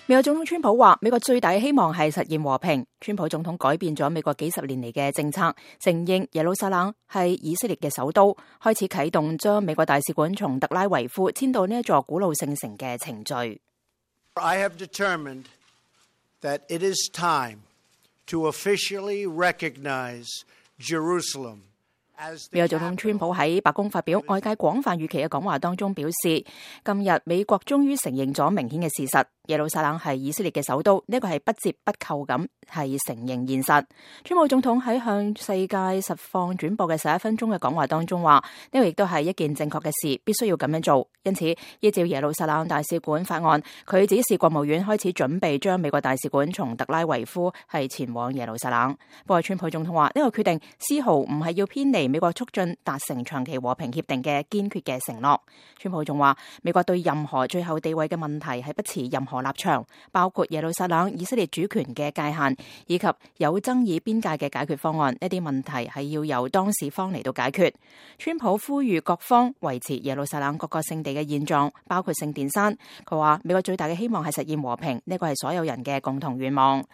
美國總統川普話，美國最大嘅希望係實現和平。川普總統改變咗美國幾十年嚟嘅政策，承認耶路撒冷係以色列嘅首都，開始啟動將美國大使館從特拉維夫遷到呢一座古老聖城嘅程序。I have determined that it is time to officially recognize Jerusalem. 美國總統川普喺白宮發表外界廣泛預期嘅講話當中表示，今日美國終於承認咗明顯嘅事實，耶路撒冷係以色列嘅首都，呢個係不折不扣咁係承認現實。川普總統喺向世界實況轉播嘅11分鐘嘅講話當中話，呢個亦都係一件正確嘅事，必須要咁樣做。因此，依照耶路撒冷大使館法案，佢指示國務院開始準備將美國大使館從特拉維夫係前往耶路撒冷。不過，川普總統話呢個決定絲毫唔係要偏離美國促進達成長期和平協定嘅堅決嘅承諾。川普仲話，美國對任何最後地位嘅問題係不持任何立場，包括耶路撒冷以色列主權嘅界限以及有爭議邊界嘅解決方案，呢啲問題係要由當事方嚟到解決。川普呼籲各方維持耶路撒冷各個聖地嘅現狀，包括聖殿山。佢話美國最大嘅希望係實現和平，呢個係所有人嘅共同願望。